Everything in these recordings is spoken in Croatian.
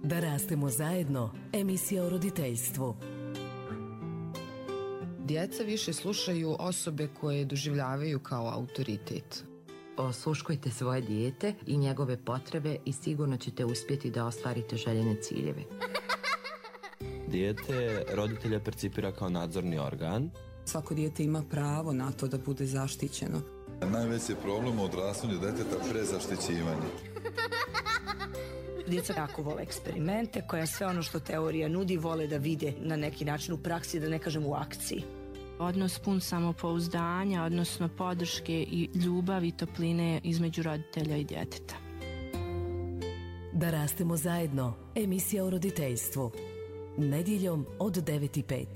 Da rastemo zajedno, emisija o roditeljstvu. Djeca više slušaju osobe koje doživljavaju kao autoritet. Osluškujte svoje dijete i njegove potrebe i sigurno ćete uspjeti da ostvarite željene ciljeve. Dijete roditelja percipira kao nadzorni organ. Svako dijete ima pravo na to da bude zaštićeno. Najveći je problem u odrastanju djeteta prezaštićivanje. Djeca jako vole eksperimente, koja sve ono što teorija nudi vole da vide na neki način u praksi, da ne kažem u akciji. Odnos pun samopouzdanja, odnosno podrške i ljubavi i topline između roditelja i djeteta. Da rastemo zajedno, emisija o roditeljstvu. Nedjeljom od 9:05.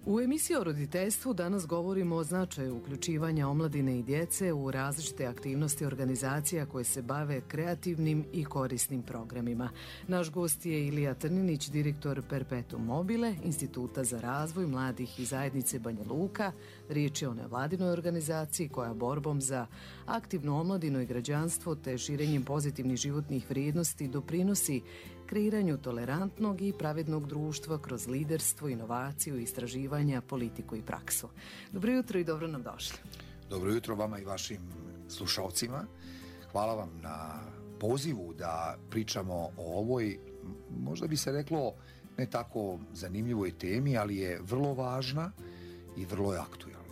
U emisiji o roditeljstvu danas govorimo o značaju uključivanja omladine i djece u različite aktivnosti organizacija koje se bave kreativnim i korisnim programima. Naš gost je Ilija Trninić, direktor Perpetuum mobile, Instituta za razvoj mladih i zajednice Banja Luka. Riječ je o nevladinoj organizaciji koja borbom za aktivnu omladinu i građanstvo te širenjem pozitivnih životnih vrijednosti doprinosi kreiranju tolerantnog i pravednog društva kroz liderstvo, inovaciju, istraživanja, politiku i praksu. Dobro jutro i dobro nam došli. Dobro jutro vama i vašim slušalcima. Hvala vam na pozivu da pričamo o ovoj, možda bi se reklo, ne tako zanimljivoj temi, ali je vrlo važna i vrlo je aktualna.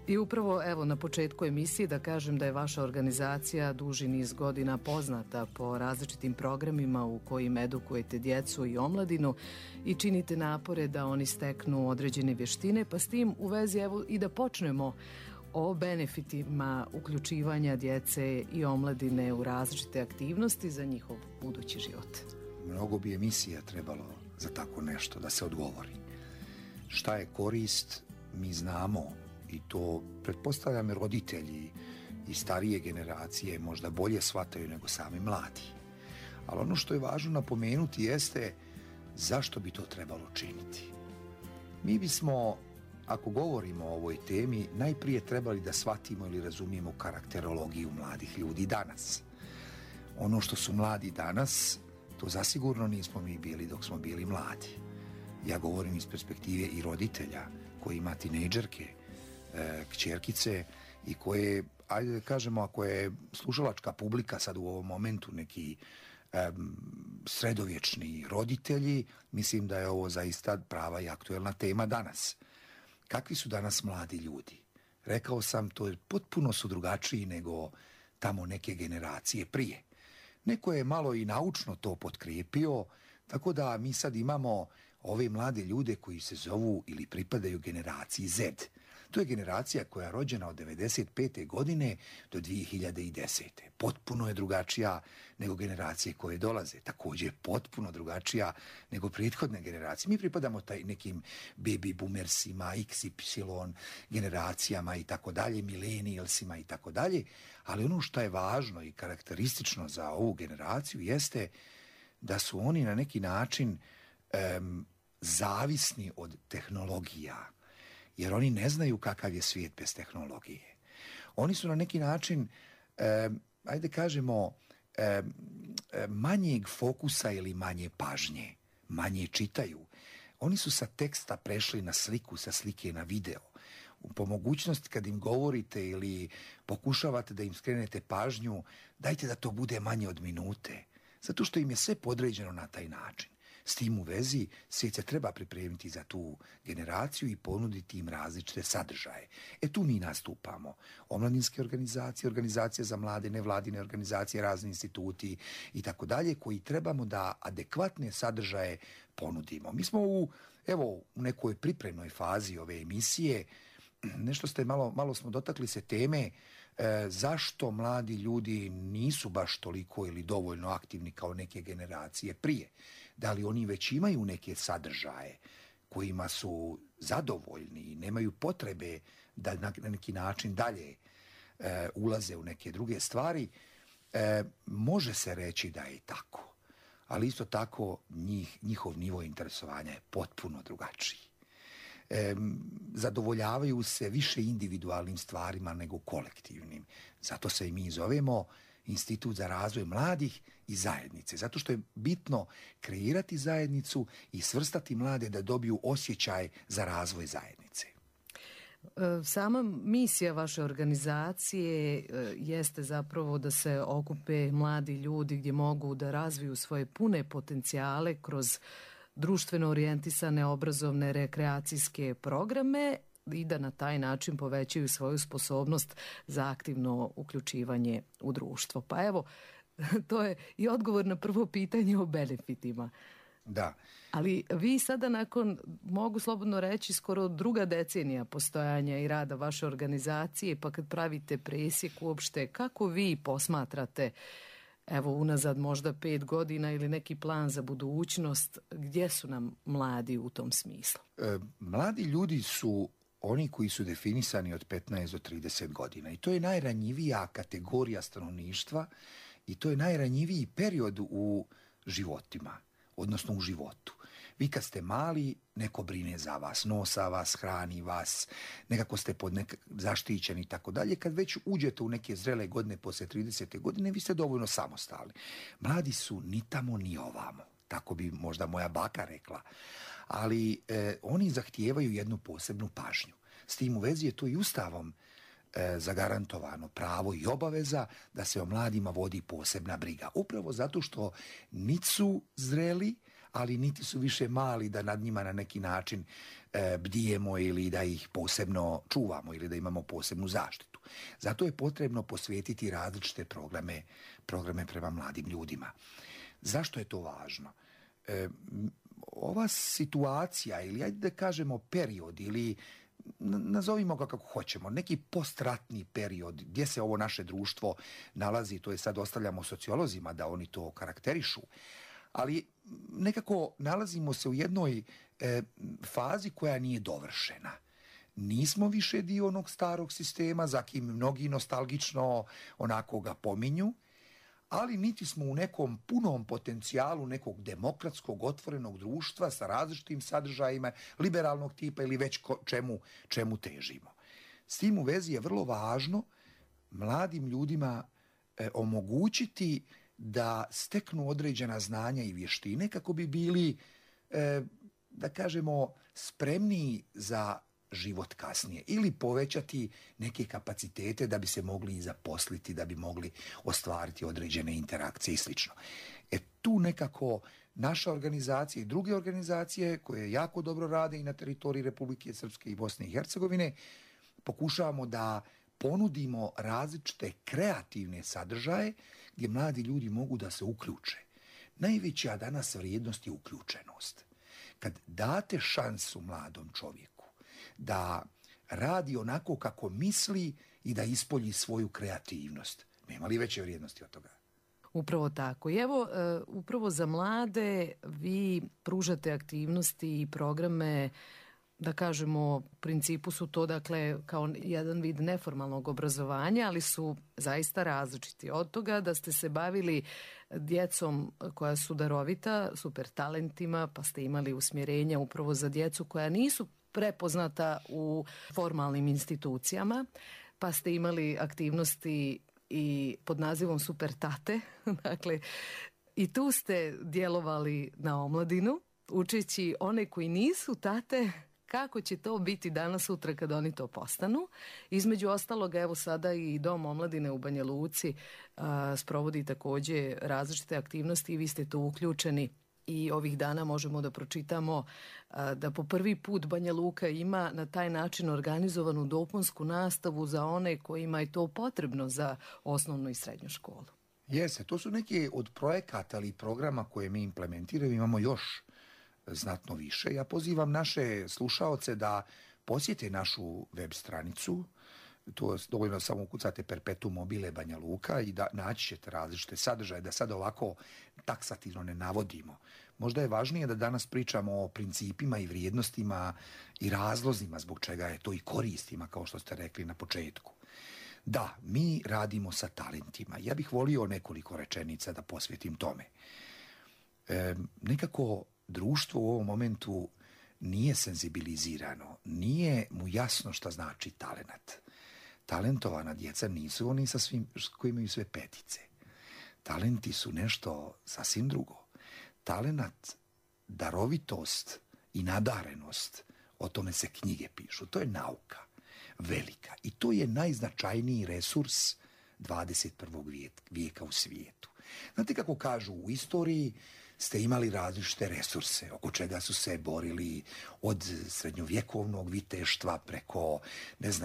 I upravo evo na početku emisije da kažem da je vaša organizacija duži niz godina poznata po različitim programima u kojim edukujete djecu i omladinu i činite napore da oni steknu određene vještine, pa s tim u vezi evo i da počnemo o benefitima uključivanja djece i omladine u različite aktivnosti za njihov budući život. Mnogo bi emisija trebalo za tako nešto da se odgovori. Šta je korist, mi znamo. I to, pretpostavljam, roditelji i starije generacije možda bolje shvataju nego sami mladi. Ali ono što je važno napomenuti jeste zašto bi to trebalo činiti. Mi bismo, ako govorimo o ovoj temi, najprije trebali da shvatimo ili razumijemo karakterologiju mladih ljudi danas. Ono što su mladi danas, to zasigurno nismo mi bili dok smo bili mladi. Ja govorim iz perspektive i roditelja koji ima tinejdžerke, kćerkice i koje, ajde da kažemo, ako je slušalačka publika sad u ovom momentu neki sredovječni roditelji, mislim da je ovo zaista prava i aktuelna tema danas. Kakvi su danas mladi ljudi? Rekao sam, to je potpuno su drugačiji nego tamo neke generacije prije. Neko je malo i naučno to potkrijepio, tako da mi sad imamo ove mlade ljude koji se zovu ili pripadaju generaciji Z. To je generacija koja je rođena od 1995. godine do 2010. Potpuno je drugačija nego generacije koje dolaze. Također je potpuno drugačija nego prethodne generacije. Mi pripadamo nekim baby boomersima, XY generacijama i tako dalje, millennialsima i tako dalje, ali ono što je važno i karakteristično za ovu generaciju jeste da su oni na neki način zavisni od tehnologija, jer oni ne znaju kakav je svijet bez tehnologije. Oni su na neki način, ajde kažemo, manjeg fokusa ili manje pažnje, manje čitaju. Oni su sa teksta prešli na sliku, sa slike na video. Po mogućnosti kad im govorite ili pokušavate da im skrenete pažnju, dajte da to bude manje od minute, zato što im je sve podređeno na taj način. S tim u vezi svijet se treba pripremiti za tu generaciju i ponuditi im različite sadržaje. Tu mi nastupamo. Omladinske organizacije, organizacije za mlade, nevladine organizacije, razni instituti i tako dalje, koji trebamo da adekvatne sadržaje ponudimo. Mi smo u nekoj pripremnoj fazi ove emisije. Nešto ste malo smo dotakli se teme zašto mladi ljudi nisu baš toliko ili dovoljno aktivni kao neke generacije prije. Da li oni već imaju neke sadržaje kojima su zadovoljni i nemaju potrebe da na neki način dalje ulaze u neke druge stvari. Može se reći da je tako, ali isto tako njihov nivo interesovanja je potpuno drugačiji. Zadovoljavaju se više individualnim stvarima nego kolektivnim. Zato se i mi zovemo Institut za razvoj mladih i zajednice. Zato što je bitno kreirati zajednicu i svrstati mlade da dobiju osjećaj za razvoj zajednice. Sama misija vaše organizacije jeste zapravo da se okupe mladi ljudi gdje mogu da razviju svoje pune potencijale kroz društveno orijentisane obrazovne rekreacijske programe i da na taj način povećaju svoju sposobnost za aktivno uključivanje u društvo. Pa evo, to je i odgovor na prvo pitanje o benefitima. Da. Ali vi sada nakon, mogu slobodno reći, skoro druga decenija postojanja i rada vaše organizacije, pa kad pravite presjek uopšte, kako vi posmatrate, evo unazad možda 5 godina ili neki plan za budućnost, gdje su nam mladi u tom smislu? Mladi ljudi su oni koji su definisani od 15 do 30 godina i to je najranjivija kategorija stanovništva i to je najranjiviji period u životima, odnosno u životu. Vi kad ste mali, neko brine za vas, nosa vas, hrani vas, nekako ste zaštićeni i tako dalje. Kad već uđete u neke zrele godine poslije 30. godine, vi ste dovoljno samostalni. Mladi su ni tamo ni ovamo, tako bi možda moja baka rekla. Ali oni zahtijevaju jednu posebnu pažnju. S tim u vezi je to i Ustavom zagarantovano pravo i obaveza da se o mladima vodi posebna briga. Upravo zato što niti su zreli, ali niti su više mali da nad njima na neki način bdijemo ili da ih posebno čuvamo ili da imamo posebnu zaštitu. Zato je potrebno posvetiti različite programe prema mladim ljudima. Zašto je to važno? Ova situacija ili ajde da kažemo period ili nazovimo ga kako hoćemo, neki postratni period gdje se ovo naše društvo nalazi, to je sad ostavljamo sociolozima da oni to karakterišu, ali nekako nalazimo se u jednoj fazi koja nije dovršena. Nismo više dio onog starog sistema, za kim mnogi nostalgično onako ga pominju, ali niti smo u nekom punom potencijalu nekog demokratskog, otvorenog društva sa različitim sadržajima, liberalnog tipa ili već čemu težimo. S tim u vezi je vrlo važno mladim ljudima omogućiti da steknu određena znanja i vještine kako bi bili, da kažemo, spremniji za život kasnije ili povećati neke kapacitete da bi se mogli i zaposliti, da bi mogli ostvariti određene interakcije i sl. Tu nekako naša organizacija i druge organizacije koje jako dobro rade i na teritoriji Republike Srpske i Bosne i Hercegovine pokušavamo da ponudimo različite kreativne sadržaje gdje mladi ljudi mogu da se uključe. Najveća danas vrijednost je uključenost. Kad date šansu mladom čovjeku da radi onako kako misli i da ispolji svoju kreativnost, nema li veće vrijednosti od toga? Upravo tako. I evo, upravo za mlade vi pružate aktivnosti i programe, da kažemo, u principu su to dakle kao jedan vid neformalnog obrazovanja, ali su zaista različiti. Od toga da ste se bavili djecom koja su darovita, super talentima, pa ste imali usmjerenja upravo za djecu koja nisu prepoznata u formalnim institucijama, pa ste imali aktivnosti i pod nazivom Super tate. Dakle, i tu ste djelovali na omladinu, učeći one koji nisu tate kako će to biti danas sutra kad oni to postanu. Između ostalog, evo sada i Dom omladine u Banja Luci sprovodi također različite aktivnosti i vi ste tu uključeni. I ovih dana možemo da pročitamo da po prvi put Banja Luka ima na taj način organizovanu dopunsku nastavu za one kojima je to potrebno za osnovnu i srednju školu. Jeste, to su neke od projekata ali programa koje mi implementiramo, imamo još znatno više. Ja pozivam naše slušaoce da posjete našu web stranicu, to dovoljno samo ukucate Perpetuum mobile Banja Luka i da naći ćete različite sadržaje, da sad ovako taksativno ne navodimo. Možda je važnije da danas pričamo o principima i vrijednostima i razlozima zbog čega je to i koristima, kao što ste rekli na početku. Da, mi radimo sa talentima. Ja bih volio nekoliko rečenica da posvetim tome. Nekako društvo u ovom momentu nije senzibilizirano, nije mu jasno šta znači talenat. Talentovana djeca nisu oni sa svim koji imaju sve petice. Talenti su nešto sasvim drugo. Talenat, darovitost i nadarenost, o tome se knjige pišu. To je nauka velika i to je najznačajniji resurs 21. vijeka u svijetu. Znate kako kažu, u istoriji ste imali različite resurse oko čega su se borili od srednjovjekovnog viteštva preko,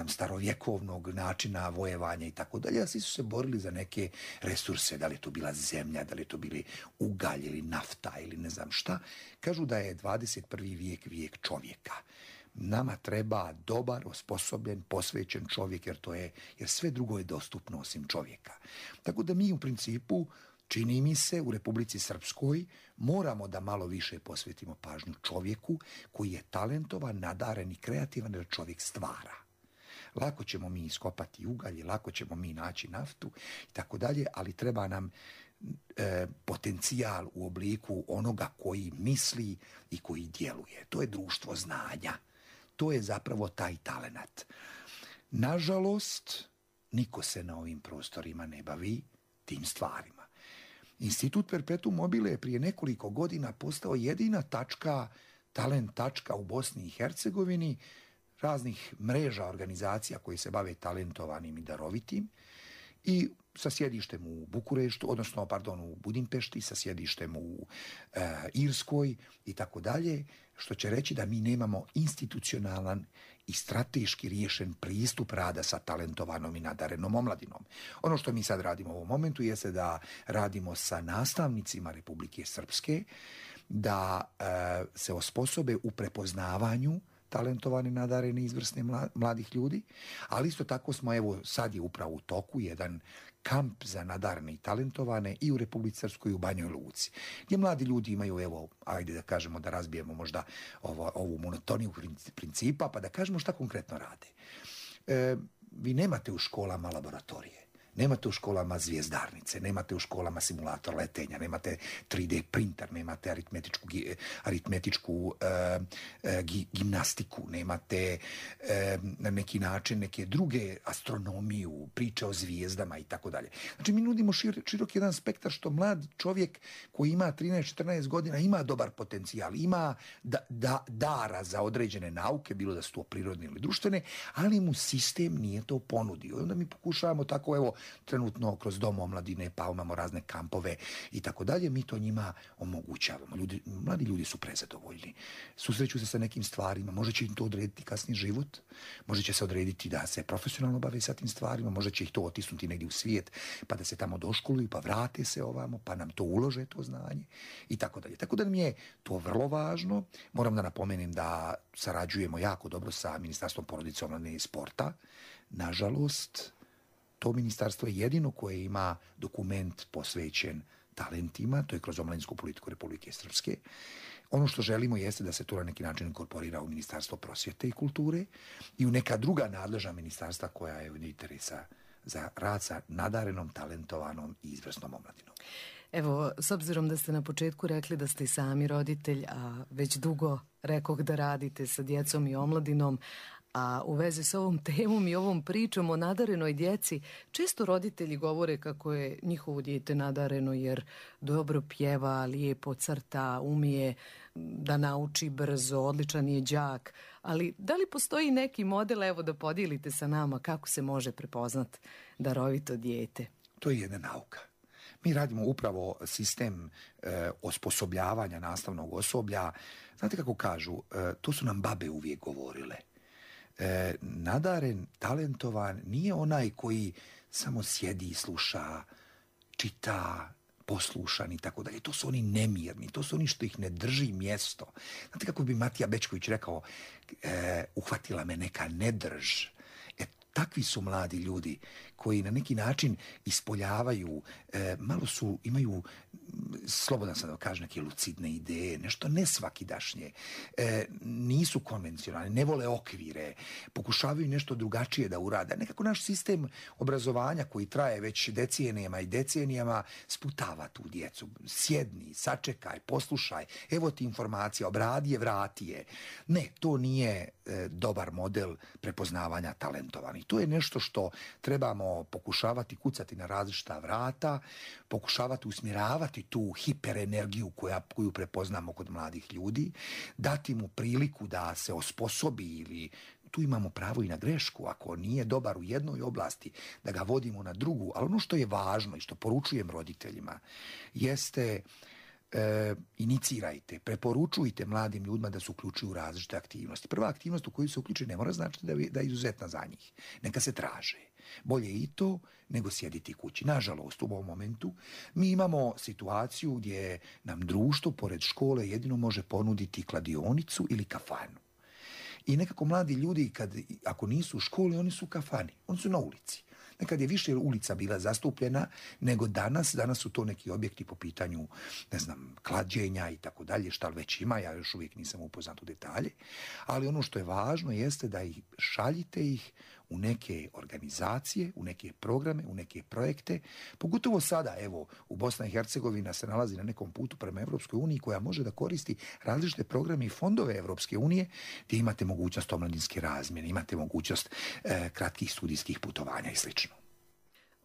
starovjekovnog načina vojevanja i tako dalje, a svi su se borili za neke resurse, da li je to bila zemlja, da li je to bili ugalj ili nafta ili ne znam šta. Kažu da je 21. vijek čovjeka. Nama treba dobar, osposobljen, posvećen čovjek, jer sve drugo je dostupno osim čovjeka. Tako da mi u principu, čini mi se, u Republici Srpskoj moramo da malo više posvetimo pažnju čovjeku koji je talentovan, nadaren i kreativan, jer čovjek stvara. Lako ćemo mi iskopati ugalj, lako ćemo mi naći naftu i tako dalje, ali treba nam potencijal u obliku onoga koji misli i koji djeluje. To je društvo znanja. To je zapravo taj talenat. Nažalost, niko se na ovim prostorima ne bavi tim stvarima. Institut Perpetuum mobile je prije nekoliko godina postao jedina talent tačka u Bosni i Hercegovini, raznih mreža organizacija koji se bave talentovanim i darovitim, i sa sjedištem u Bukureštu, u Budimpešti, sa sjedištem u Irskoj i tako dalje, što će reći da mi nemamo institucionalan i strateški riješen pristup rada sa talentovanom i nadarenom omladinom. Ono što mi sad radimo u ovom momentu jeste da radimo sa nastavnicima Republike Srpske, da se osposobe u prepoznavanju talentovane, nadarene, izvrsne mladih ljudi, ali isto tako smo, sad je upravo u toku jedan kamp za nadarene i talentovane i u Republici Srpskoj i u Banjoj Luci, gdje mladi ljudi imaju, ajde da kažemo, da razbijemo možda ovu monotoniju principa, pa da kažemo šta konkretno rade. Vi nemate u školama laboratorije, nemate u školama zvijezdarnice, nemate u školama simulator letenja, nemate 3D printer, nemate aritmetičku gimnastiku, nemate na neki način neke druge astronomiju, priče o zvijezdama i tako dalje. Znači mi nudimo širok jedan spektar što mlad čovjek koji ima 13-14 godina ima dobar potencijal, ima dara za određene nauke, bilo da su to prirodne ili društvene, ali mu sistem nije to ponudio. I onda mi pokušavamo tako, trenutno kroz dom omladine, pa imamo razne kampove i tako dalje, mi to njima omogućavamo. Mladi ljudi su prezadovoljni. Susreću se sa nekim stvarima, može će im to odrediti kasni život, može će se odrediti da se profesionalno bave sa tim stvarima, može će ih to otisnuti negdje u svijet, pa da se tamo doškoluju, pa vrate se ovamo, pa nam to ulože, to znanje i tako dalje. Tako da mi je to vrlo važno. Moram da napomenem da sarađujemo jako dobro sa Ministarstvom porodice, omladine i sporta. Nažalost, to ministarstvo je jedino koje ima dokument posvećen talentima, to je kroz omladinsku politiku Republike Srpske. Ono što želimo jeste da se to na neki način inkorporira u Ministarstvo prosvjete i kulture i u neka druga nadležna ministarstva koja je od interesa za rad sa nadarenom, talentovanom i izvrsnom omladinom. Evo, s obzirom da ste na početku rekli da ste i sami roditelj, a već dugo rekoh da radite sa djecom i omladinom, a u vezi s ovom temom i ovom pričom o nadarenoj djeci, često roditelji govore kako je njihovo dijete nadareno jer dobro pjeva, lijepo crta, umije da nauči brzo, odličan je đak, ali da li postoji neki model, evo da podijelite sa nama kako se može prepoznat darovito dijete? To je jedna nauka. Mi radimo upravo sistem osposobljavanja nastavnog osoblja. Znate kako kažu, to su nam babe uvijek govorile. Nadaren, talentovan nije onaj koji samo sjedi i sluša, čita, poslušan i tako dalje. To su oni nemirni, to su oni što ih ne drži mjesto. Znate kako bi Matija Bečković rekao, uhvatila me neka nedrž. Takvi su mladi ljudi koji na neki način ispoljavaju, imaju, slobodan sam da kažem, neke lucidne ideje, nešto nesvakidašnje, nisu konvencionalni, ne vole okvire, pokušavaju nešto drugačije da urade. Nekako naš sistem obrazovanja koji traje već decenijama i decenijama sputava tu djecu. Sjedni, sačekaj, poslušaj, evo ti informacija, obradi je, vrati je. Ne, to nije dobar model prepoznavanja talentovanih. To je nešto što trebamo moramo pokušavati kucati na različita vrata, pokušavati usmjeravati tu hiperenergiju koju prepoznamo kod mladih ljudi, dati mu priliku da se osposobi ili tu imamo pravo i na grešku, ako nije dobar u jednoj oblasti, da ga vodimo na drugu. Ali ono što je važno i što poručujem roditeljima jeste inicirajte, preporučujte mladim ljudima da se uključuju u različite aktivnosti. Prva aktivnost u koju se uključi ne mora značiti da je izuzetna za njih. Neka se traže. Bolje i to nego sjediti kući. Nažalost, u ovom momentu mi imamo situaciju gdje nam društvo pored škole jedino može ponuditi kladionicu ili kafanu. I nekako mladi ljudi, ako nisu u školi, oni su u kafani, oni su na ulici. Nekad je više ulica bila zastupljena nego danas. Danas su to neki objekti po pitanju, ne znam, klađenja i tako dalje, šta već ima, ja još uvijek nisam upoznat u detalje. Ali ono što je važno jeste da ih šaljite ih u neke organizacije, u neke programe, u neke projekte. Pogotovo sada, evo, u Bosna i Hercegovina se nalazi na nekom putu prema Evropskoj uniji koja može da koristi različite programe i fondove Evropske unije gdje imate mogućnost omladinske razmjene, imate mogućnost kratkih studijskih putovanja i sl.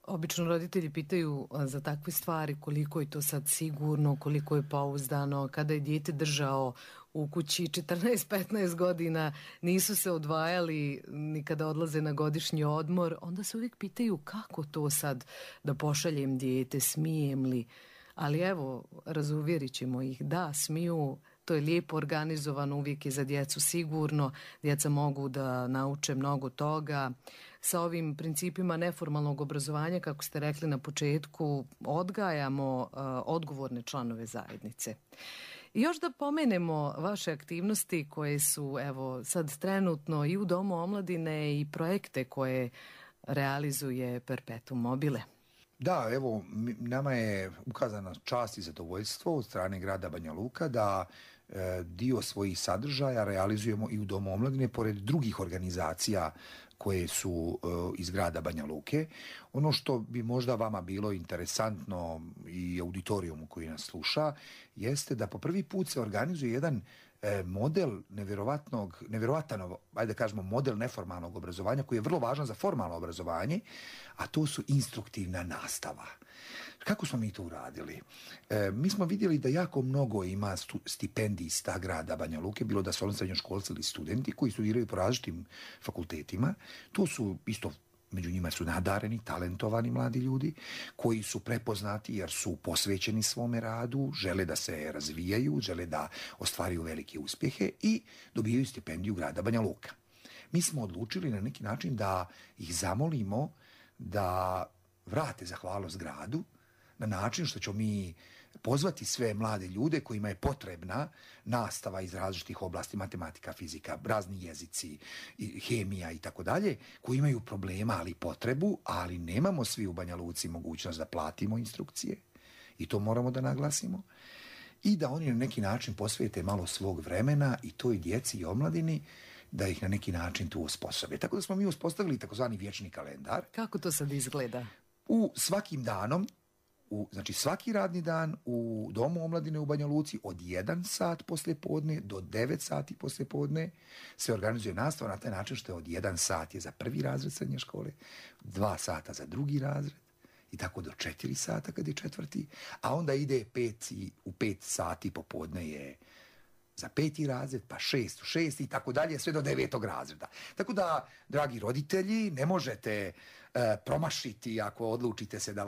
Obično roditelji pitaju za takve stvari koliko je to sad sigurno, koliko je pouzdano, kada je dijete držao u kući 14-15 godina, nisu se odvajali ni kada odlaze na godišnji odmor, onda se uvijek pitaju kako to sad da pošaljem dijete, smijem li? Ali evo, razuvjerit ćemo ih, da, smiju, to je lijepo organizovano, uvijek je za djecu sigurno, djeca mogu da nauče mnogo toga. Sa ovim principima neformalnog obrazovanja, kako ste rekli na početku, odgajamo odgovorne članove zajednice. I još da pomenemo vaše aktivnosti koje su, evo, sad trenutno i u Domu omladine i projekte koje realizuje Perpetuum mobile. Da, evo, nama je ukazana čast i zadovoljstvo od strane grada Banja Luka da dio svojih sadržaja realizujemo i u Domu omladine, pored drugih organizacija koje su iz grada Banja Luke. Ono što bi možda vama bilo interesantno i auditorijumu koji nas sluša, jeste da po prvi put se organizuje jedan model nevjerovatan, ajde da kažemo, model neformalnog obrazovanja koji je vrlo važan za formalno obrazovanje, a to su instruktivna nastava. Kako smo mi to uradili? Mi smo vidjeli da jako mnogo ima stipendista grada Banja Luke, bilo da su oni srednjoškolci ili studenti koji studiraju po različitim fakultetima. To su isto, među njima su nadareni, talentovani mladi ljudi koji su prepoznati jer su posvećeni svome radu, žele da se razvijaju, žele da ostvaruju velike uspjehe i dobijaju stipendiju grada Banja Luka. Mi smo odlučili na neki način da ih zamolimo da vrate zahvalnost gradu na način što ćemo mi pozvati sve mlade ljude kojima je potrebna nastava iz različitih oblasti, matematika, fizika, razni jezici, hemija i tako dalje, koji imaju problema, ali potrebu, ali nemamo svi u Banja Luci mogućnost da platimo instrukcije i to moramo da naglasimo i da oni na neki način posvete malo svog vremena i toj djeci i omladini da ih na neki način tu osposobe. Tako da smo mi uspostavili takozvani vječni kalendar. Kako to sad izgleda? U svakim danom, znači svaki radni dan u Domu omladine u Banja Luci od 1 sat poslijepodne do 9 sati poslijepodne se organizuje nastava na taj način što je od 1 sat je za prvi razred srednje škole, 2 sata za drugi razred i tako do 4 sata kad je četvrti, a onda ide u 5 sati popodne je za 5. razred, pa 6 u 6 i tako dalje, sve do 9. razreda. Tako da, dragi roditelji, ne možete promašiti ako odlučite se da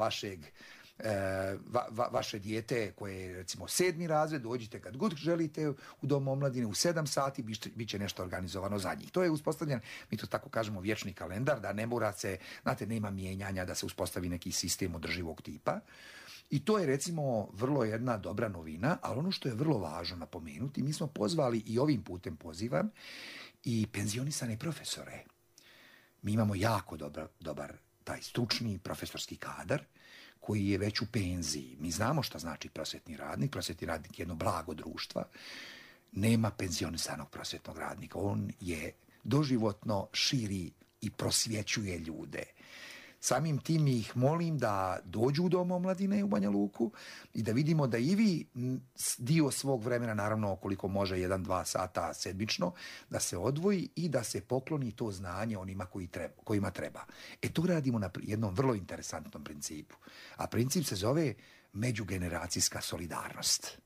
vaše dijete koje je recimo 7. razred, dođite kad god želite u Dom omladine u 7 sati, bit će nešto organizovano za njih. To je uspostavljen, mi to tako kažemo, vječni kalendar, da ne mora se, znate, nema mijenjanja, da se uspostavi neki sistem održivog tipa. I to je recimo vrlo jedna dobra novina, ali ono što je vrlo važno napomenuti, mi smo pozvali i ovim putem pozivam i penzionisane profesore. Mi imamo jako dobar taj stručni profesorski kadar koji je već u penziji. Mi znamo šta znači prosvjetni radnik. Prosvjetni radnik je jedno blago društva. Nema penzionisanog prosvjetnog radnika. On je doživotno širi i prosvjećuje ljude. Samim tim ih molim da dođu u Dom omladine u Banja Luku i da vidimo da i vi dio svog vremena, naravno koliko može 1-2 sata sedmično, da se odvoji i da se pokloni to znanje onima kojima treba. To radimo na jednom vrlo interesantnom principu. A princip se zove međugeneracijska solidarnost.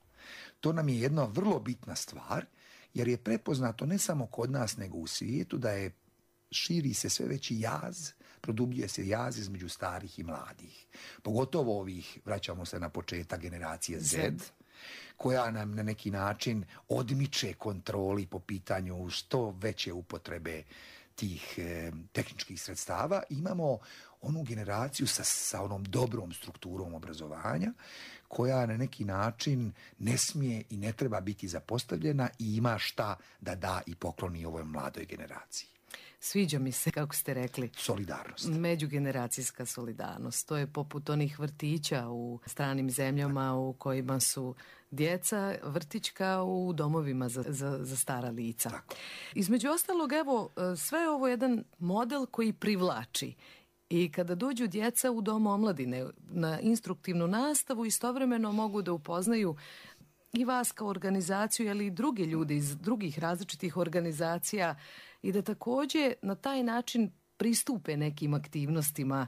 To nam je jedna vrlo bitna stvar, jer je prepoznato ne samo kod nas, nego u svijetu da širi se sve veći jaz, produbljuje se jaz između starih i mladih. Pogotovo ovih, vraćamo se na početak, generacije Z, koja nam na neki način odmiče kontroli po pitanju što veće upotrebe tih tehničkih sredstava. Imamo onu generaciju sa onom dobrom strukturom obrazovanja koja na neki način ne smije i ne treba biti zapostavljena i ima šta da da i pokloni ovoj mladoj generaciji. Sviđa mi se, kako ste rekli, solidarnost. Međugeneracijska solidarnost. To je poput onih vrtića u stranim zemljama u kojima su djeca vrtićka u domovima za stara lica. Tako. Između ostalog, evo, sve je ovo jedan model koji privlači. I kada dođu djeca u Dom omladine na instruktivnu nastavu, istovremeno mogu da upoznaju i vas kao organizaciju, ali i druge ljude iz drugih različitih organizacija i da također na taj način pristupe nekim aktivnostima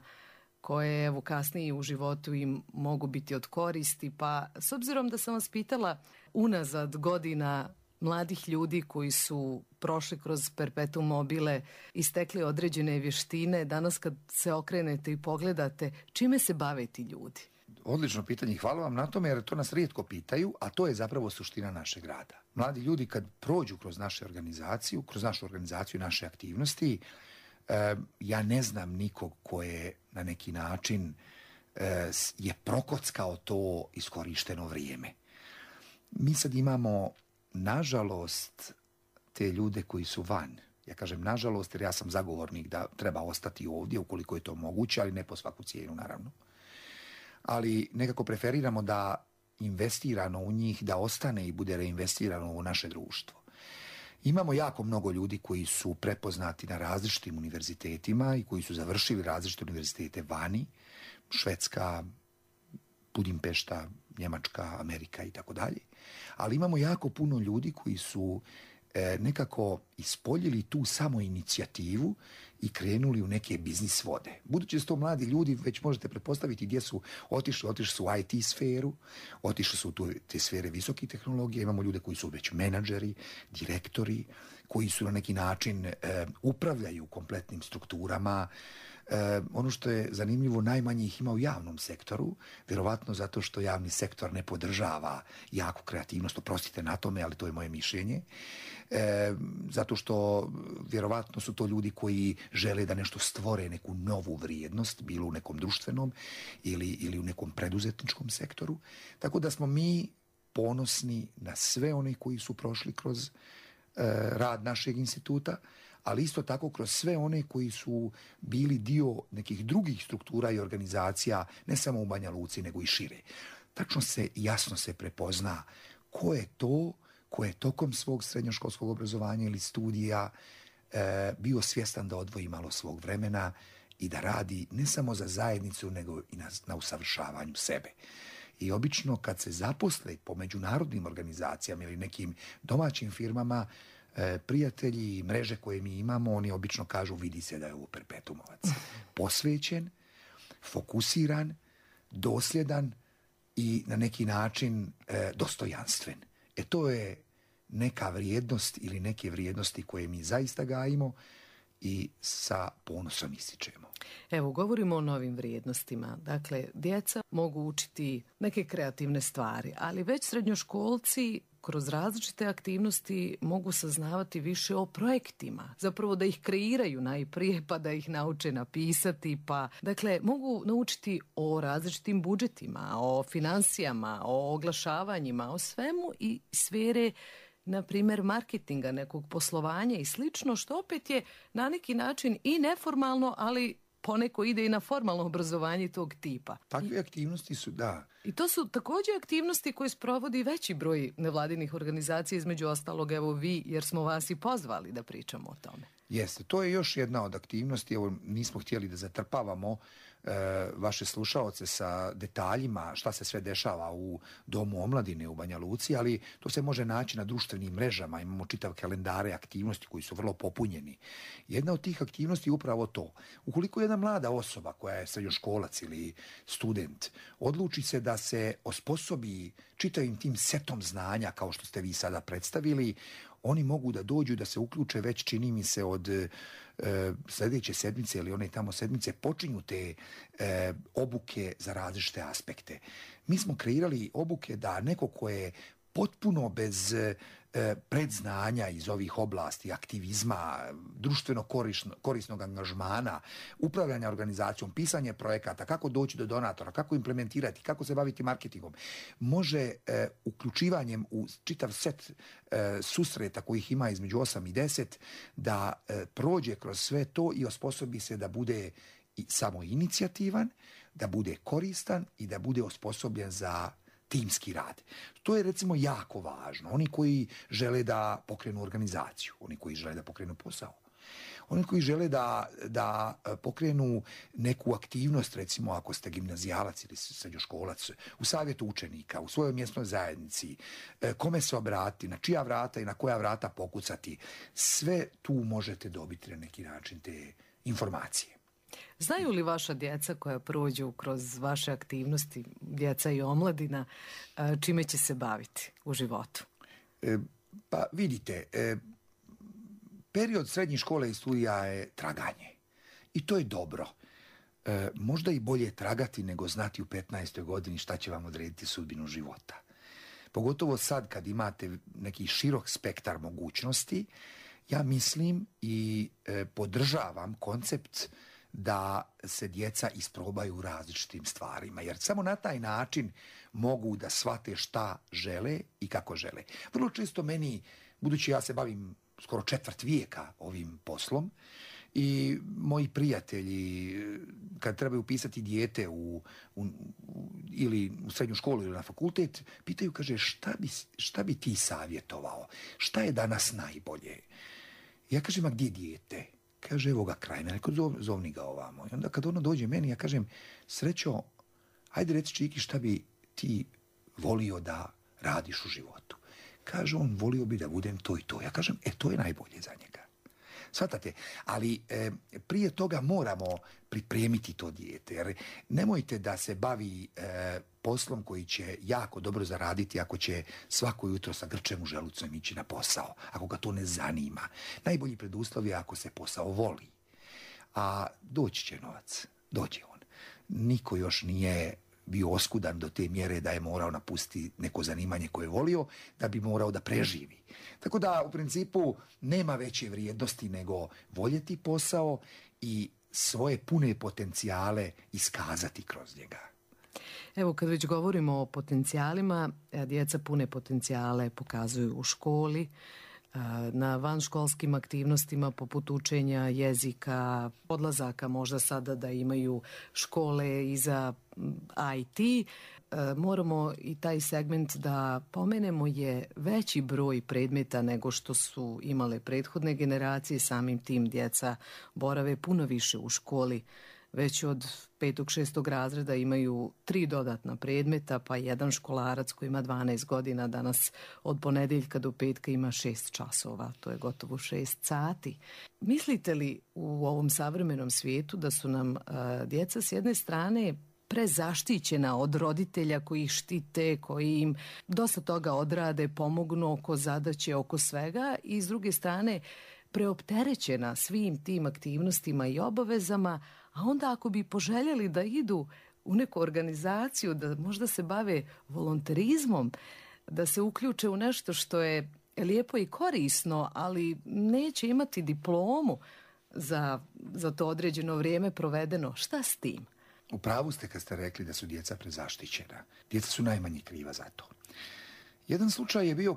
koje evo kasnije u životu im mogu biti od koristi. Pa s obzirom da sam vas pitala unazad godina mladih ljudi koji su prošli kroz perpetuum mobile i stekli određene vještine, danas kad se okrenete i pogledate, čime se bave ti ljudi? Odlično pitanje, hvala vam na tome, jer to nas rijetko pitaju, a to je zapravo suština našeg rada. Mladi ljudi kad prođu kroz našu organizaciju i naše aktivnosti, ja ne znam nikog ko je na neki način je prokockao to iskorišteno vrijeme. Mi sad imamo, nažalost, te ljude koji su van. Ja kažem nažalost jer ja sam zagovornik da treba ostati ovdje ukoliko je to moguće, ali ne po svaku cijenu naravno. Ali nekako preferiramo da investirano u njih, da ostane i bude reinvestirano u naše društvo. Imamo jako mnogo ljudi koji su prepoznati na različitim univerzitetima i koji su završili različite univerzitete vani, Švedska, Budimpešta, Njemačka, Amerika i tako dalje. Ali imamo jako puno ljudi koji su nekako ispoljili tu samoinicijativu i krenuli u neke biznis vode. Budući da su to mladi ljudi, već možete pretpostaviti gdje su otišli su u IT sferu, otišli su u te sfere visokih tehnologija, imamo ljude koji su već menadžeri, direktori, koji su na neki način upravljaju kompletnim strukturama. Ono što je zanimljivo, najmanje ih ima u javnom sektoru, vjerovatno zato što javni sektor ne podržava jaku kreativnost, oprostite na tome, ali to je moje mišljenje. Zato što vjerovatno su to ljudi koji žele da nešto stvore, neku novu vrijednost, bilo u nekom društvenom ili u nekom preduzetničkom sektoru. Tako da smo mi ponosni na sve one koji su prošli kroz rad našeg instituta, ali isto tako kroz sve one koji su bili dio nekih drugih struktura i organizacija, ne samo u Banja Luci, nego i šire. Tačno jasno se prepozna ko je to, ko je tokom svog srednjoškolskog obrazovanja ili studija bio svjestan da odvoji malo svog vremena i da radi ne samo za zajednicu, nego i na usavršavanju sebe. I obično kad se zaposle po međunarodnim organizacijama ili nekim domaćim firmama, prijatelji i mreže koje mi imamo, oni obično kažu vidi se da je ovo perpetumovac. Posvećen, fokusiran, dosljedan i na neki način dostojanstven. To je neka vrijednost ili neke vrijednosti koje mi zaista gajimo i sa ponosom ističemo. Evo, govorimo o novim vrijednostima. Dakle, djeca mogu učiti neke kreativne stvari, ali već srednjoškolci kroz različite aktivnosti mogu saznavati više o projektima. Zapravo da ih kreiraju najprije, pa da ih nauče napisati, pa dakle mogu naučiti o različitim budžetima, o financijama, o oglašavanjima, o svemu i sfere, na primjer, marketinga, nekog poslovanja i slično, što opet je na neki način i neformalno, ali poneko ide i na formalno obrazovanje tog tipa. Takve aktivnosti su, da. I to su također aktivnosti koje sprovodi veći broj nevladinih organizacija, između ostalog evo vi, jer smo vas i pozvali da pričamo o tome. Jeste, to je još jedna od aktivnosti, evo nismo htjeli da zatrpavamo vaše slušaoce sa detaljima šta se sve dešava u Domu omladine u Banja Luci, ali to se može naći na društvenim mrežama, imamo čitav kalendare aktivnosti koji su vrlo popunjeni. Jedna od tih aktivnosti je upravo to. Ukoliko jedna mlada osoba koja je srednjoškolac ili student odluči se da se osposobi čitavim tim setom znanja kao što ste vi sada predstavili, oni mogu da dođu da se uključe već, čini mi se, od sljedeće sedmice ili one tamo sedmice počinju te obuke za različite aspekte. Mi smo kreirali obuke da neko ko je potpuno bez predznanja iz ovih oblasti, aktivizma, društveno korisnog angažmana, upravljanja organizacijom, pisanje projekata, kako doći do donatora, kako implementirati, kako se baviti marketingom, može uključivanjem u čitav set susreta kojih ima između 8 i 10 da prođe kroz sve to i osposobi se da bude samoinicijativan, da bude koristan i da bude osposobljen za timski rad. To je recimo jako važno. Oni koji žele da pokrenu organizaciju, oni koji žele da pokrenu posao, oni koji žele da pokrenu neku aktivnost, recimo ako ste gimnazijalac ili srednjoškolac, u savjetu učenika, u svojoj mjesnoj zajednici, kome se obratiti, na čija vrata i na koja vrata pokucati, sve tu možete dobiti na neki način te informacije. Znaju li vaša djeca koja prođu kroz vaše aktivnosti, djeca i omladina, čime će se baviti u životu? Pa vidite, period srednje škole i studija je traganje. I to je dobro. Možda i bolje tragati nego znati u 15. godini šta će vam odrediti sudbinu života. Pogotovo sad kad imate neki širok spektar mogućnosti, ja mislim i podržavam koncept da se djeca isprobaju u različitim stvarima, jer samo na taj način mogu da shvate šta žele i kako žele. Vrlo često meni, budući ja se bavim skoro 1/4 vijeka ovim poslom, i moji prijatelji kad trebaju upisati dijete ili u srednju školu ili na fakultet, pitaju, kaže, šta bi ti savjetovao? Šta je danas najbolje? Ja kažem, a gdje je dijete? Kaže, evo ga kraj mene, zovni ga ovamo. I onda kad ono dođe meni, ja kažem, Srećo, ajde reci Čiki šta bi ti volio da radiš u životu. Kaže on, volio bi da budem to i to. Ja kažem, to je najbolje za njega. Shvatate? Ali prije toga moramo pripremiti to dijete. Jer nemojte da se bavi poslom koji će jako dobro zaraditi ako će svako jutro sa grčem u želucem ići na posao. Ako ga to ne zanima. Najbolji preduslov je ako se posao voli. A doći će novac. Dođe on. Niko još nije bio oskudan do te mjere da je morao napustiti neko zanimanje koje je volio, da bi morao da preživi. Tako da, u principu, nema veće vrijednosti nego voljeti posao i svoje pune potencijale iskazati kroz njega. Evo, kad već govorimo o potencijalima, djeca pune potencijale pokazuju u školi, na vanškolskim aktivnostima poput učenja jezika, odlazaka možda sada da imaju škole i za IT. Moramo i taj segment da pomenemo, je veći broj predmeta nego što su imale prethodne generacije, samim tim djeca borave puno više u školi. Već od 5. 6. razreda imaju 3 dodatna predmeta, pa jedan školarac koji ima 12 godina danas od ponedjeljka do petka ima 6 časova, to je gotovo 6 sati. Mislite li u ovom savremenom svijetu da su nam djeca s jedne strane prezaštićena od roditelja koji ih štite, koji im dosta toga odrade, pomognu oko zadaće, oko svega, i s druge strane preopterećena svim tim aktivnostima i obavezama, a onda ako bi poželjeli da idu u neku organizaciju, da možda se bave volonterizmom, da se uključe u nešto što je lijepo i korisno, ali neće imati diplomu za to određeno vrijeme provedeno, šta s tim? U pravu ste kad ste rekli da su djeca prezaštićena. Djeca su najmanje kriva za to. Jedan slučaj je bio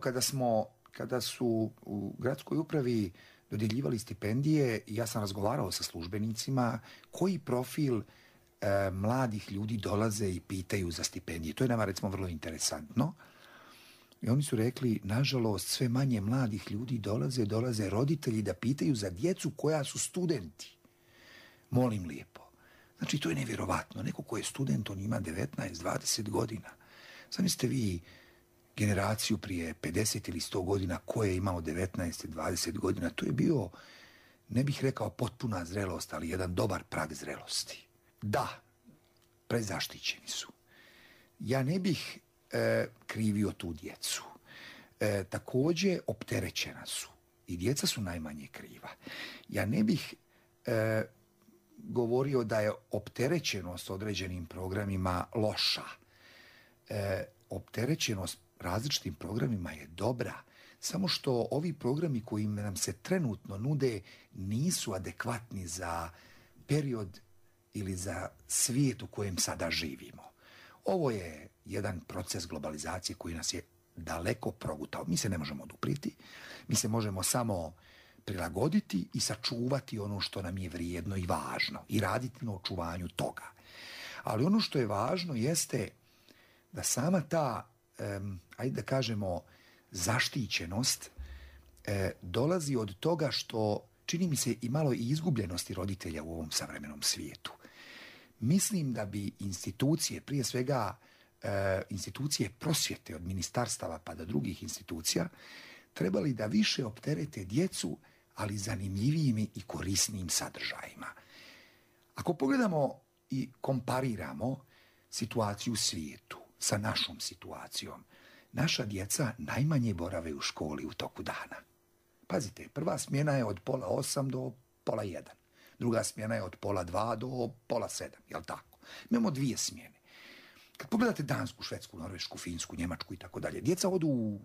kada su u gradskoj upravi dodjeljivali stipendije i ja sam razgovarao sa službenicima koji profil mladih ljudi dolaze i pitaju za stipendije. To je nama recimo vrlo interesantno. I oni su rekli, nažalost, sve manje mladih ljudi dolaze roditelji da pitaju za djecu koja su studenti. Molim lijepo. Znači, to je nevjerovatno. Neko ko je student, on ima 19-20 godina. Zamislite vi generaciju prije 50 ili 100 godina ko je imao 19-20 godina. To je bio, ne bih rekao potpuna zrelost, ali jedan dobar prag zrelosti. Da, prezaštićeni su. Ja ne bih krivio tu djecu. Također opterećena su. I djeca su najmanje kriva. Ja ne bih govorio da je opterećenost određenim programima loša. Opterećenost različitim programima je dobra. Samo što ovi programi koji nam se trenutno nude nisu adekvatni za period ili za svijet u kojem sada živimo. Ovo je jedan proces globalizacije koji nas je daleko progutao. Mi se ne možemo oduprijeti, mi se možemo samo prilagoditi i sačuvati ono što nam je vrijedno i važno i raditi na očuvanju toga. Ali ono što je važno jeste da sama ta, ajde da kažemo, zaštićenost dolazi od toga što čini mi se i malo i izgubljenosti roditelja u ovom savremenom svijetu. Mislim da bi institucije, prije svega institucije prosvjete od ministarstava pa do drugih institucija, trebali da više opterete djecu, ali zanimljivijim i korisnijim sadržajima. Ako pogledamo i kompariramo situaciju u svijetu sa našom situacijom, naša djeca najmanje borave u školi u toku dana. Pazite, prva smjena je od 7:30 do 6:30. Druga smjena je od 1:30 do 6:30, jel tako? Imamo 2 smjene. Kad pogledate Dansku, Švedsku, Norvešku, Finsku, Njemačku i tako dalje, djeca odu u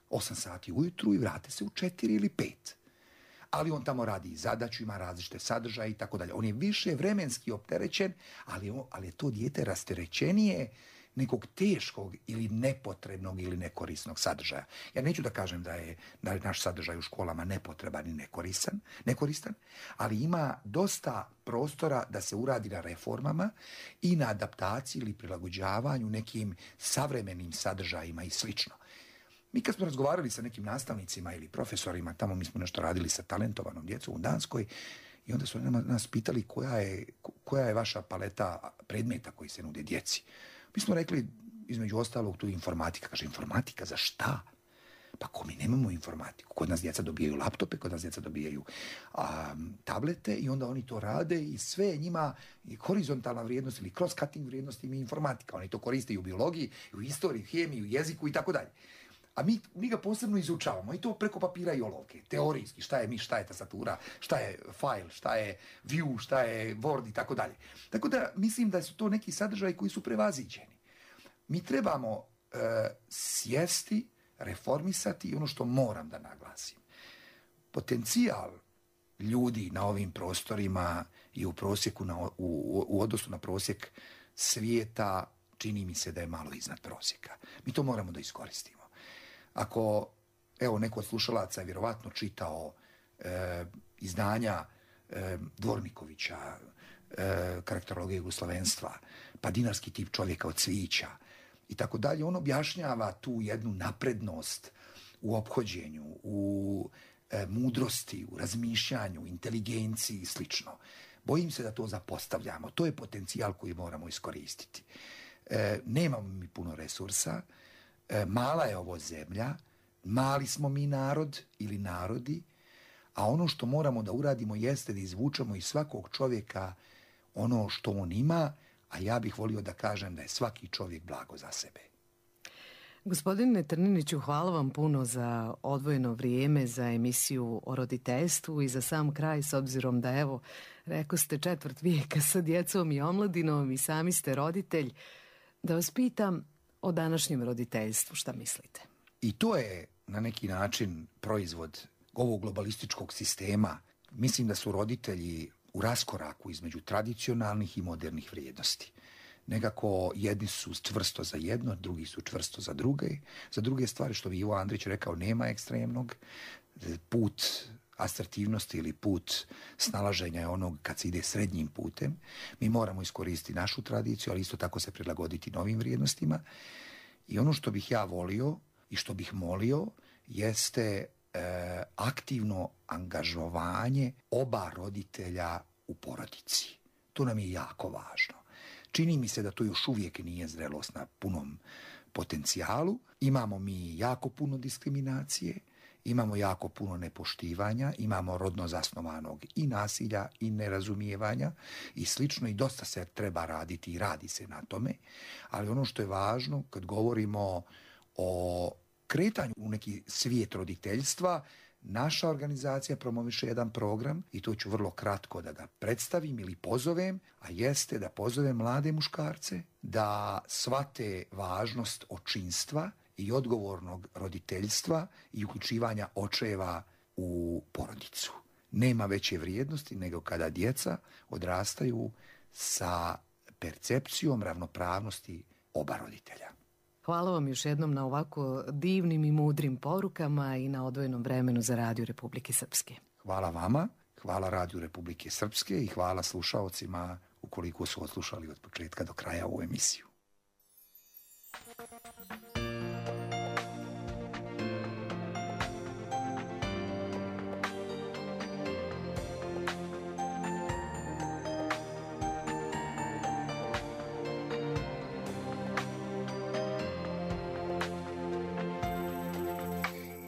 8 sati ujutru i vrate se u 4 ili 5. Ali on tamo radi zadaću, ima različite sadržaje i tako dalje. On je više vremenski opterećen, ali je to dijete rasterećenije nekog teškog ili nepotrebnog ili nekorisnog sadržaja. Ja neću da kažem da je naš sadržaj u školama nepotreban i nekoristan, ali ima dosta prostora da se uradi na reformama i na adaptaciji ili prilagođavanju nekim savremenim sadržajima i slično. Mi kad smo razgovarali sa nekim nastavnicima ili profesorima, tamo mi smo nešto radili sa talentovanom djecom u Danskoj, i onda su nas pitali koja je vaša paleta predmeta koji se nude djeci. Mi smo rekli, između ostalog, tu informatika. Kaže, informatika za šta? Pa ko mi nemamo informatiku? Kod nas djeca dobijaju laptope, kod nas djeca dobijaju tablete i onda oni to rade i sve je njima horizontalna vrijednost ili cross-cutting vrijednost im je informatika. Oni to koriste i u biologiji, i u istoriji, hemiji, u jeziku i tako dalje. A mi ga posebno izučavamo i to preko papira i olovke, teorijski, šta je miš, šta je tastatura, šta je file, šta je view, šta je word i tako dalje. Tako da mislim da su to neki sadržaji koji su prevaziđeni. Mi trebamo sjesti, reformisati i ono što moram da naglasim. Potencijal ljudi na ovim prostorima i u prosjeku, u odnosu na prosjek svijeta, čini mi se da je malo iznad prosjeka. Mi to moramo da iskoristimo. Ako, evo, neko od slušalaca je vjerovatno čitao izdanja Dvornikovića, Karakterologija jugoslavenstva, pa Dinarski tip čovjeka od Cvijića i tako dalje, on objašnjava tu jednu naprednost u ophođenju, u mudrosti, u razmišljanju, inteligenciji i slično. Bojim se da to zapostavljamo. To je potencijal koji moramo iskoristiti. Nemamo mi puno resursa, mala je ovo zemlja, mali smo mi narod ili narodi, a ono što moramo da uradimo jeste da izvučemo iz svakog čovjeka ono što on ima, a ja bih volio da kažem da je svaki čovjek blago za sebe. Gospodine Trniniću, hvala vam puno za odvojeno vrijeme, za emisiju o roditeljstvu i za sam kraj, s obzirom da, evo, rekao ste 1/4 vijeka sa djecom i omladinom i sami ste roditelj, da vas pitam o današnjem roditeljstvu, šta mislite? I to je na neki način proizvod ovog globalističkog sistema. Mislim da su roditelji u raskoraku između tradicionalnih i modernih vrijednosti. Nekako jedni su čvrsto za jedno, drugi su čvrsto za druge. Za druge stvari, što bi Ivo Andrić rekao, nema ekstremnog. Put asertivnosti ili put snalaženja je onog kad se ide srednjim putem. Mi moramo iskoristiti našu tradiciju, ali isto tako se prilagoditi novim vrijednostima. I ono što bih ja volio i što bih molio jeste aktivno angažovanje oba roditelja u porodici. To nam je jako važno. Čini mi se da to još uvijek nije zrelost na punom potencijalu. Imamo mi jako puno diskriminacije, imamo jako puno nepoštivanja, imamo rodno zasnovanog i nasilja i nerazumijevanja i slično, i dosta se treba raditi i radi se na tome. Ali ono što je važno kad govorimo o kretanju u neki svijet roditeljstva, naša organizacija promoviše jedan program i to ću vrlo kratko da ga predstavim ili pozovem, a jeste da pozovem mlade muškarce da shvate važnost očinstva i odgovornog roditeljstva i uključivanja očeva u porodicu. Nema veće vrijednosti nego kada djeca odrastaju sa percepcijom ravnopravnosti oba roditelja. Hvala vam još jednom na ovako divnim i mudrim porukama i na odvojenom vremenu za Radio Republike Srpske. Hvala vama, hvala Radio Republike Srpske i hvala slušaocima ukoliko su odslušali od početka do kraja ovu emisiju.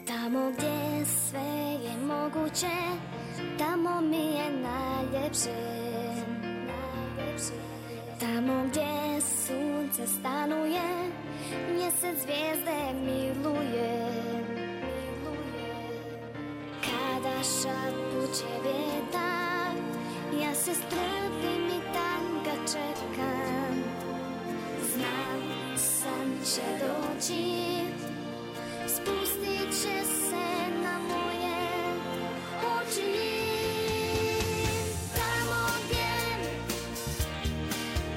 Tamo gdje sve je moguće, tamo mi je najljepše. Tamo gdje sunce stanuje, mjesec zvijezde miluje. Kada šapuće vjetar, ja se strpim i tam ga čekam. Znam, san će doći, spustit će se na moje oči.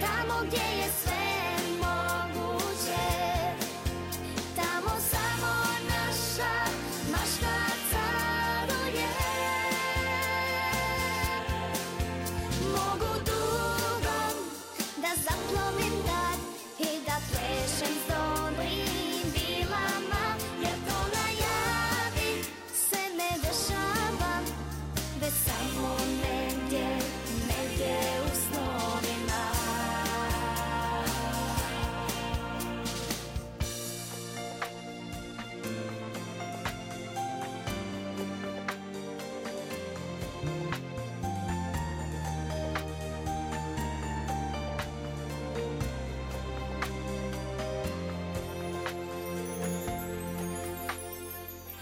Tamo gdje je sve moguće, tamo samo naša mašta caruje. Mogu dugom da zaplovim tad i da plešem s dobrim bilama, jer to na javi se ne dešava, već samo negdje u snovima.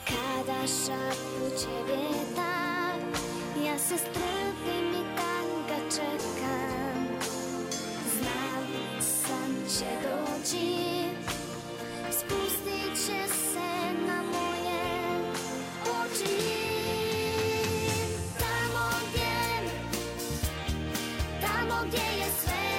Kada šapuće vjetar, ja se strpim i tam ga čekam. Znam, san će doći, spustit će se na moje oči. Tamo gdje je sve